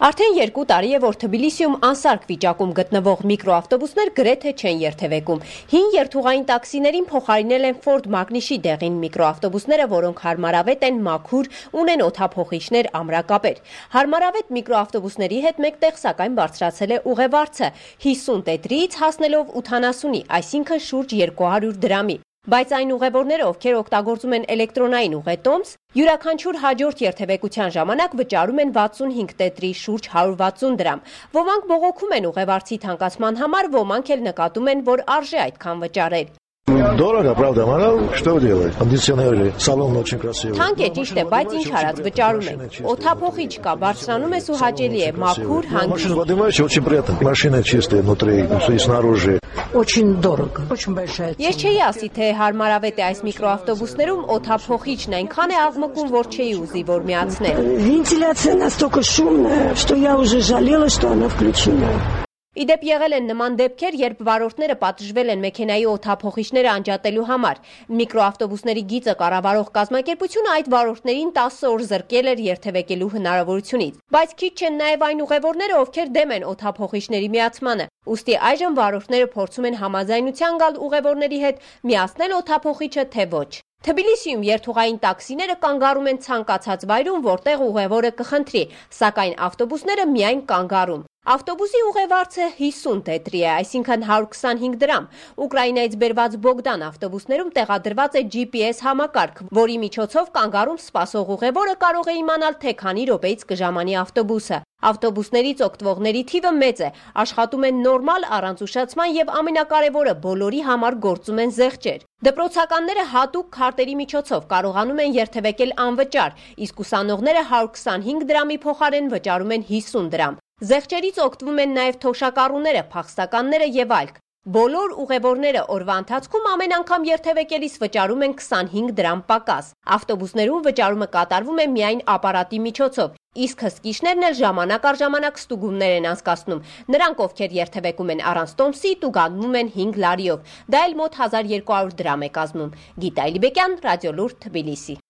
Արդեն 2 տարի է, որ Թբիլիսիում անսարք վիճակում գտնվող միկրոավտոբուսներ գրեթե չեն երթևեկում։ Հին երթուղային տաքսիներին փոխարինել են Ford Magnish-ի դեղին միկրոավտոբուսները, որոնք հարմարավետ են, մաքուր, ունեն օդափոխիչներ, ամրակապեր։ Հարմարավետ միկրոավտոբուսների հետ մեկտեղ սակայն բարձրացել է ուղևորցը 50 տետրից հասնելով 80-ի, այսինքն շուրջ 200 դրամի։ Բայց այն ուղևորները, ովքեր օգտագործում են էլեկտրոնային ուղետոմս, յուրաքանչյուր հաջորդ երթևեկության ժամանակ վճարում են 65 տետրի շուրջ 160 դրամ։ Ոմանք բողոքում են ուղևորցի թանկացման համար, ոմանք էլ նկատում են, որ արժե այդքան վճարել։ Дорого, правда, мало, что делать? Кондиционеры, салон очень красивый. Թանկ է, ճիշտ է, բայց ինչ արած վճարում ենք։ Օդափոխիչ կա, բարձրանում ես ու հաճելի է, մաքուր, հանգիստ։ Машина поднимаешься, очень приятно. Машина чистая внутри и снаружи. Очень дорого, очень большая цена. Ես չէի ասի, թե հարմարավետ է այս միկրոավտոբուսներում օդափոխիչն այնքան է աղմկում, որ չէի ուզի, որ միացնել։ Вентиляция настолько шумная, что я уже жалела, что она включена. Իդեպ եղել են նման դեպքեր, երբ վարորդները պատժվել են մեքենայի օդափոխիչները անջատելու համար։ Միկրոավտոբուսների գիծը կառավարող կազմակերպությունը այդ վարորդներին 10 օր զրկել էր երթևեկելու հնարավորությունից։ Բայց քիչ չեն նաև այն ուղևորները, ովքեր դեմ են օդափոխիչների միացմանը։ Ուստի այժմ վարորդները փորձում են համաձայնության գալ ուղևորների հետ միացնել օդափոխիչը, թե ոչ։ Թբիլիսիում երթուղային տաքսիները կանգառում են ցանկացած վայրում, որտեղ ուղևորը կխնդրի, սակայն ավտոբուսները միայն կանգառում։ Ավտոբուսի ուղևորցը 50 տետրի է, այսինքն 125 դրամ։ Ուկրաինայից բերված Բոգդան ավտոբուսներում տեղադրված է GPS համակարգ, որի միջոցով կանգառում սպասող ուղևորը կարող է իմանալ, թե քանի րոպեից կժամանի ավտոբուսը։ Ավտոբուսներից օգտվողների թիվը մեծ է, աշխատում են նորմալ, առանց ուշացման եւ ամենակարևորը բոլորի համար գործում են զեղչեր։ Դպրոցականները հատուկ քարտերի միջոցով կարողանում են երթևեկել անվճար, իսկ ուսանողները 125 դրամի փոխարեն վճարում են 50 դրամ։ Զեղչերից օգտվում են նաև թոշակառուները, փախստականները եւ այլք։ Բոլոր ուղևորները օրվա ընթացքում ամեն անգամ երթևեկելիս վճարում են 25 դրամ պակաս։ Ավտոբուսներում վճարումը կատարվում է միայն ապարատի միջոցով, իսկ հսկիչներն էլ ժամանակ առ ժամանակ ստուգումներ են անցկացնում։ Նրանք, ովքեր երթևեկում են առանց տոմսի, տուգանվում են 5 լարիով։ Դա էլ մոտ 1200 դրամ է կազմում։ Գիտա Էլիբեկյան, Ռադիոլուրդ, Թբիլիսի։